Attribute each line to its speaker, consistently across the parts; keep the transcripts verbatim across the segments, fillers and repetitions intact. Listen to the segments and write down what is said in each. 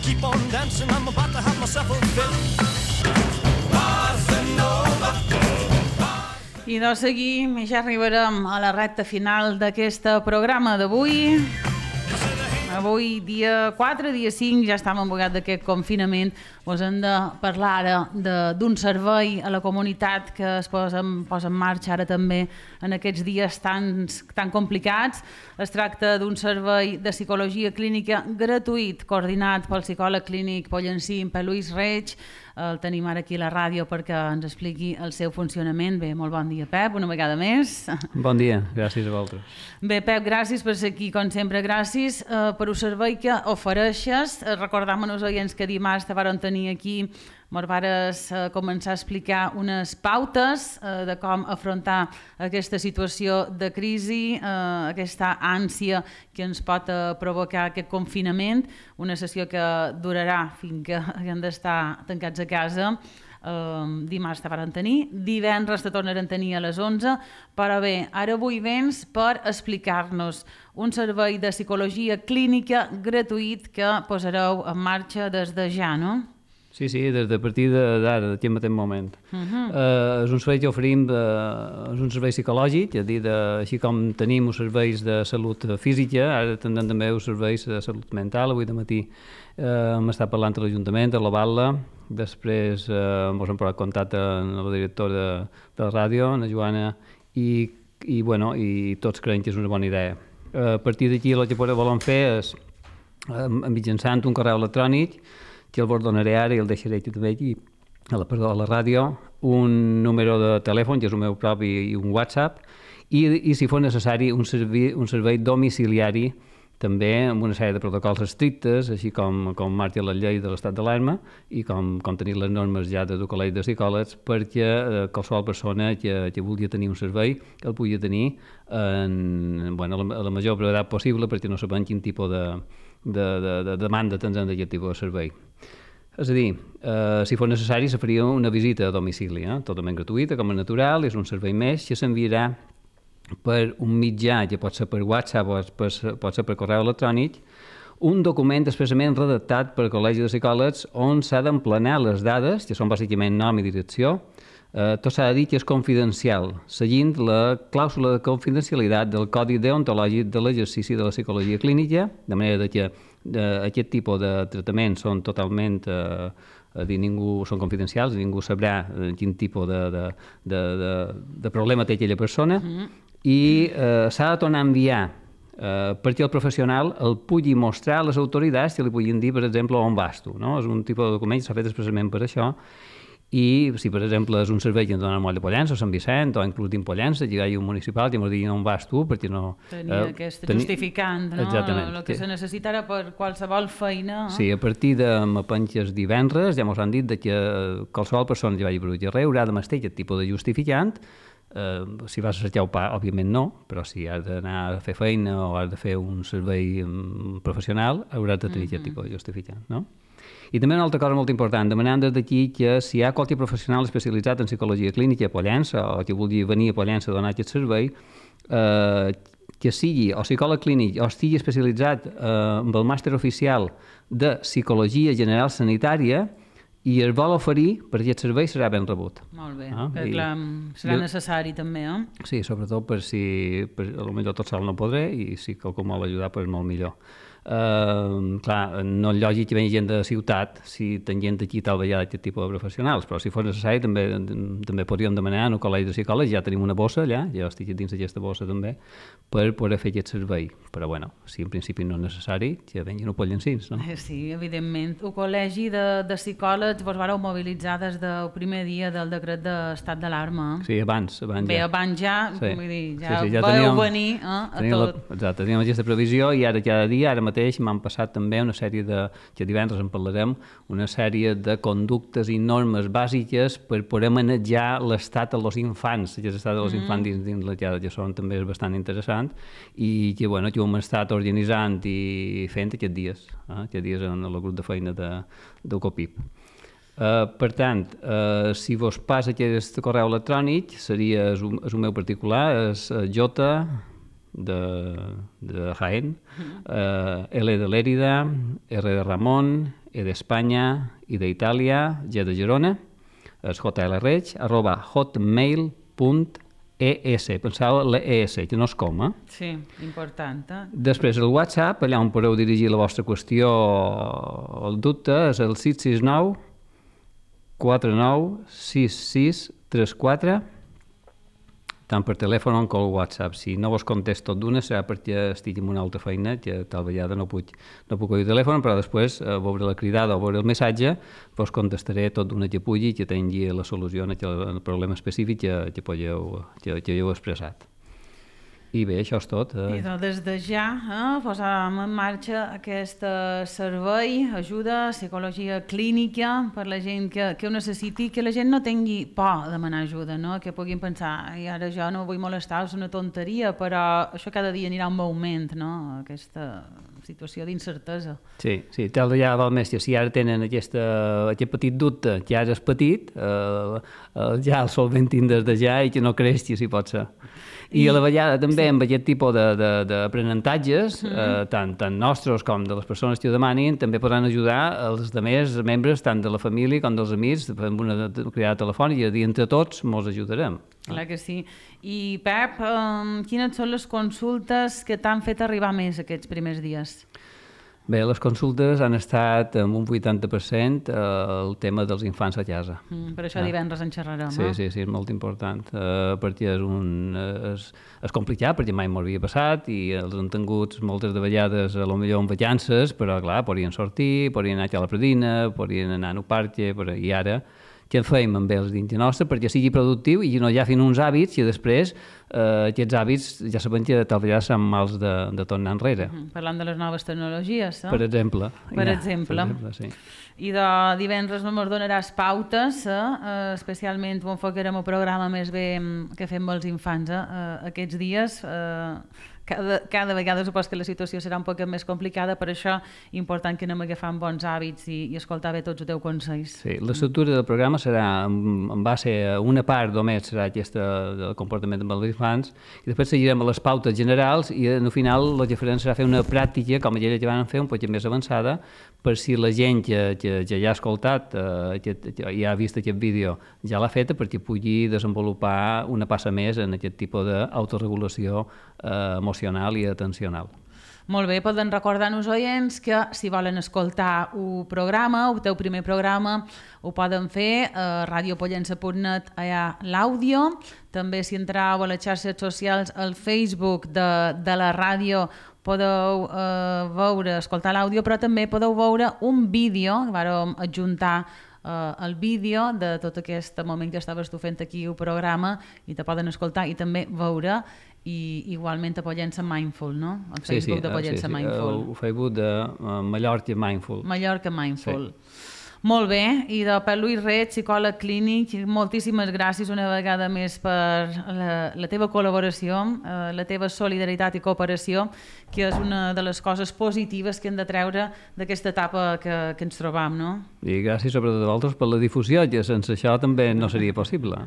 Speaker 1: keep on dancing, I'm about to have myself a fit. Bossa Nova.
Speaker 2: I doncs seguim i ja arribarem a la recta final d'aquest programa d'avui. Avui, dia quatre, dia cinc, ja estem embogat d'aquest confinament. Us hem de parlar ara d'un servei a la comunitat que es posa en, posa en marxa ara també en aquests dies tan, tan complicats. Es tracta d'un servei de psicologia clínica gratuït, coordinat pel psicòleg clínic pollencí, Pep Lluís Reig. El tenim ara aquí a la ràdio perquè ens expliqui el seu funcionament. Bé, molt bon dia, Pep, una vegada més.
Speaker 3: Bon dia, gràcies a vosaltres.
Speaker 2: Bé, Pep, gràcies per ser aquí, com sempre, gràcies eh, per el servei que ofereixes. Eh, Recordam als oients que dimarts te varen tenir aquí, ens vares eh, començar a explicar unes pautes eh, de com afrontar aquesta situació de crisi, eh, aquesta ànsia que ens pot eh, provocar aquest confinament, una sessió que durarà fins que haguem d'estar tancats a casa. Uh, dimarts te varen tenir, divendres te tornaren a tenir a les onze, però bé, ara avui vens per explicar-nos un servei de psicologia clínica gratuït que posareu en marxa des de ja, no?
Speaker 3: Sí, sí, des de partir d'ara, d'aquest mateix moment. Uh -huh. uh, és un servei que oferim, de, és un servei psicològic, és a dir, de, així com tenim els serveis de salut física, ara tindrem també els serveis de salut mental. Avui de matí uh, hem estat parlant amb l'Ajuntament, de l'Avala, després eh, ens hem posat contacte amb la directora de, de la ràdio, la Joana, i, i, bueno, i tots creiem que és una bona idea. Uh, a partir d'aquí el que volem fer és, uh, mitjançant un correu electrònic, que el vos donaré ara i el deixaré també aquí, a la, perdó, a la ràdio, un número de telèfon, que és el meu propi, i un WhatsApp, i, i si fos necessari, un servei, un servei domiciliari, també amb una sèrie de protocols estrictes, així com, com marca la llei de l'estat d'alarma i com, com tenir les normes ja del Col·legi de Psicòlegs, perquè eh, qualsevol persona que, que vulgui tenir un servei el pugui tenir en, bueno, a, la, a la major brevetat possible, perquè no sabem quin tipus de, de, de, de demanda tindrem d'aquest tipus de servei. És a dir, eh, si fos necessari, se faria una visita a domicili, eh? Totalment gratuïta, com a natural, és un servei més que s'enviarà per un mitjà, que pot ser per WhatsApp o per, pot ser per correu electrònic, un document expressament redactat pel Col·legi de Psicòlegs on s'ha d'emplenar les dades, que són bàsicament nom i direcció. Eh, tot s'ha de dir que és confidencial, seguint la clàusula de confidencialitat del Codi Deontològic de l'exercici de la psicologia clínica, de manera que eh, aquest tipus de tractaments són totalment eh, a dir, ningú, són confidencials, ningú sabrà eh, quin tipus de, de, de, de, de problema té aquella persona, mm-hmm. i eh, s'ha de tornar a enviar eh, perquè el professional el pugui mostrar a les autoritats que li puguin dir, per exemple, on vas tu, no? És un tipus de document que s'ha fet expressament per això. I si, per exemple, és un servei que ens dona el moll de Pollença o Sant Vicent, o inclús dins Pollença, que hi ha un municipal que ens diu on vas tu, perquè no...
Speaker 2: Tenia eh, aquest teni... justificant, no? Exactament. El que se necessitarà per qualsevol feina.
Speaker 3: Sí, a partir de m'apenges divendres ja ens han dit que qualsevol persona que vagi per un carrer haurà de mestir aquest tipus de justificant. Uh, si vas a cercar el pa, òbviament no, però si has d'anar a fer feina o has de fer un servei um, professional, hauràs de tenir mm-hmm. aquest tipus de justificant, no? I també una altra cosa molt important, demanem des d'aquí que si hi ha qualsevol professional especialitzat en psicologia clínica a Pollença o que vulgui venir a Pollença a donar aquest servei, eh, que sigui o psicòleg clínic o estigui especialitzat eh, amb el màster oficial de psicologia general sanitària i es vol oferir per aquest servei serà ben rebut.
Speaker 2: Molt bé, ah, que clar, serà jo, necessari també, eh?
Speaker 3: Sí, sobretot per si, per, potser tot sol no podré i si qualcú vol ajudar, doncs molt millor. Uh, clar, no és lògic que vegi gent de ciutat si ten gent aquí tal vegada aquest tipus de professionals, però si fos necessari també, també podríem demanar en el Col·legi de Psicòlegs, ja tenim una bossa allà, ja estic dins d'aquesta bossa també, per poder fer aquest servei. Però bueno, si en principi no és necessari, que venguin a Pollencins, no?
Speaker 2: Sí, evidentment. El Col·legi de, de Psicòlegs vos vareu mobilitzar des del primer dia del decret d'estat d'alarma.
Speaker 3: Sí, abans, abans
Speaker 2: Bé,
Speaker 3: ja.
Speaker 2: abans ja,
Speaker 3: sí.
Speaker 2: vull dir, ja,
Speaker 3: sí, sí, ja
Speaker 2: vau
Speaker 3: teníem,
Speaker 2: venir eh, a tot.
Speaker 3: La, exacte, teníem aquesta previsió i ara cada dia, ara mateix m'han passat també una sèrie de, que divendres en parlarem, una sèrie de conductes i normes bàsiques per poder manejar l'estat dels infants, que l'estat dels mm. infants dins, dins la llar, que són també és bastant interessant i que, bueno, que ho hem estat organitzant i fent aquests dies, eh, aquests dies en el grup de feina de, del COPIP. Uh, per tant, uh, si vos passa aquest correu electrònic, seria, és un, és un meu particular, és uh, J, de, de Jaén, uh, L de Lérida, R de Ramon, E d'Espanya, I d'Itàlia, G de Girona, és jlreig, arroba hotmail punt es. Penseu l'es, que no és com, eh?
Speaker 2: Sí, important. Eh?
Speaker 3: Després el WhatsApp, allà on podeu dirigir la vostra qüestió o el dubte, és el sis sis nou quatre nou sis sis tres quatre, tant per telèfon com per WhatsApp. Si no vos contesto tot d'una serà perquè estic en una altra feina, que tal vegada no puc, no puc oir el telèfon, però després, a veure la cridada o veure el missatge, vos contestaré tot d'una que pugui, que tingui la solució en el problema específic que, que, podeu, que, que heu expressat. I bé, això és tot. Eh?
Speaker 2: I doncs des de ja eh, posàvem en marxa aquest eh, servei, ajuda, psicologia clínica per la gent que, que ho necessiti, que la gent no tingui por de demanar ajuda, no? Que puguin pensar, i ara jo no vull molestar, és una tonteria, però això cada dia anirà un augment, no? Aquesta situació d'incertesa.
Speaker 3: Sí, sí, tal ja val més que si ara tenen aquesta, aquest petit dubte, que ara és petit, eh, eh, ja el solventin des de ja i que no creixi, si pot ser. I a la vegada també amb aquest tipus d'aprenentatges, eh, tant, tant nostres com de les persones que ho demanin, també podran ajudar els altres membres, tant de la família com dels amics, amb una cridada telefònica, i entre tots mos ajudarem.
Speaker 2: Clar que sí. I Pep, eh, quines són les consultes que t'han fet arribar més aquests primers dies?
Speaker 3: Bé, les consultes han estat amb un vuitanta per cent eh, el tema dels infants a casa.
Speaker 2: Mm, per això divendres en xerrarem,
Speaker 3: sí,
Speaker 2: eh?
Speaker 3: Sí, sí, és molt important, eh, perquè és, un, és, és complicat, perquè mai m'ho havia passat, i els han tingut moltes de vegades, a lo millor en vacances, però clar, podien sortir, podien anar a la predina, podien anar al parc, i ara què fem amb ells dins nostre perquè sigui productiu i no hi ha fins uns hàbits i després eh, aquests hàbits ja sabem que tal vegada són mals de, de tornar enrere.
Speaker 2: Mm, parlant de les noves tecnologies, eh?
Speaker 3: Per exemple.
Speaker 2: Per
Speaker 3: ja,
Speaker 2: exemple.
Speaker 3: Per exemple, sí.
Speaker 2: I de divendres ens donaràs pautes, eh? Especialment ho enfocarem el programa més bé que fem amb els infants eh? Aquests dies. Eh? Cada, cada vegada supos que la situació serà un poc més complicada, per això important que anem agafant bons hàbits i, i escoltar bé tots els teus consells.
Speaker 3: Sí, l'estructura del programa serà en, en base a una part només serà aquesta del comportament amb els infants i després seguirem a les pautes generals i al final el que farem serà fer una pràctica com aquella que van fer un poc més avançada per si la gent que, que, que ja ha escoltat, eh, que, que ja ha vist aquest vídeo, ja l'ha feta perquè pugui desenvolupar una passa més en aquest tipus d'autoregulació eh, emocional i atencional.
Speaker 2: Molt bé, poden recordar-nos oients que si volen escoltar un programa, el teu primer programa, ho poden fer a radiopollença punt net, allà l'àudio. També si entreu a les xarxes socials, al Facebook de, de la ràdio, podeu eh, veure, escoltar l'àudio, però també podeu veure un vídeo, que vàrem adjuntar Uh, el vídeo de tot aquest moment que estaves tu fent aquí el programa i te poden escoltar i també veure i igualment a Pollença Mindful, no? El
Speaker 3: sí,
Speaker 2: Facebook
Speaker 3: sí,
Speaker 2: de Pollença
Speaker 3: sí, sí.
Speaker 2: Mindful.
Speaker 3: El Facebook de uh, Mallorca Mindful.
Speaker 2: Mallorca Mindful.
Speaker 3: Sí.
Speaker 2: Molt bé, i de Pep Lluís Reig, psicòleg clínic, moltíssimes gràcies una vegada més per la, la teva col·laboració, eh, la teva solidaritat i cooperació, que és una de les coses positives que hem de treure d'aquesta etapa que, que ens trobam, no?
Speaker 3: I gràcies sobretot a vosaltres per la difusió, que sense això també no seria possible.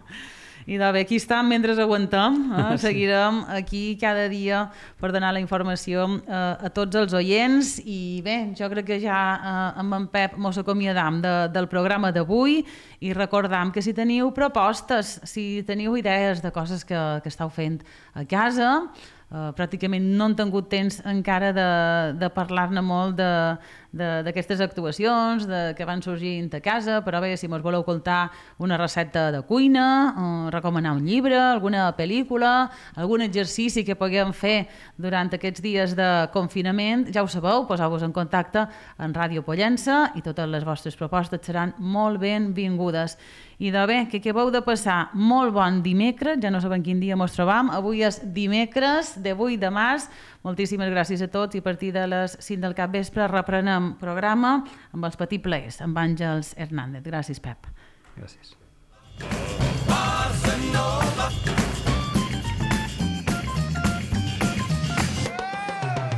Speaker 2: I de bé, aquí estem mentre aguantem, eh? Seguirem aquí cada dia per donar la informació eh, a tots els oients i bé, jo crec que ja eh, amb en Pep mos acomiadam de, del programa d'avui i recordam que si teniu propostes, si teniu idees de coses que, que esteu fent a casa, Uh, pràcticament no han tingut temps encara de, de parlar-ne molt d'aquestes actuacions de, que van sorgint a casa, però bé, si mos voleu contar una recepta de cuina, uh, recomanar un llibre, alguna pel·lícula, algun exercici que puguem fer durant aquests dies de confinament, ja ho sabeu, poseu-vos en contacte en Ràdio Pollença i totes les vostres propostes seran molt benvingudes. I de bé, que acabeu de passar molt bon dimecres, ja no sabem quin dia mos trobam, avui és dimecres de vuit de març, moltíssimes gràcies a tots i a partir de les cinc del capvespre reprenem programa amb els petits plaers, amb Àngels Hernández. Gràcies, Pep.
Speaker 3: Gràcies.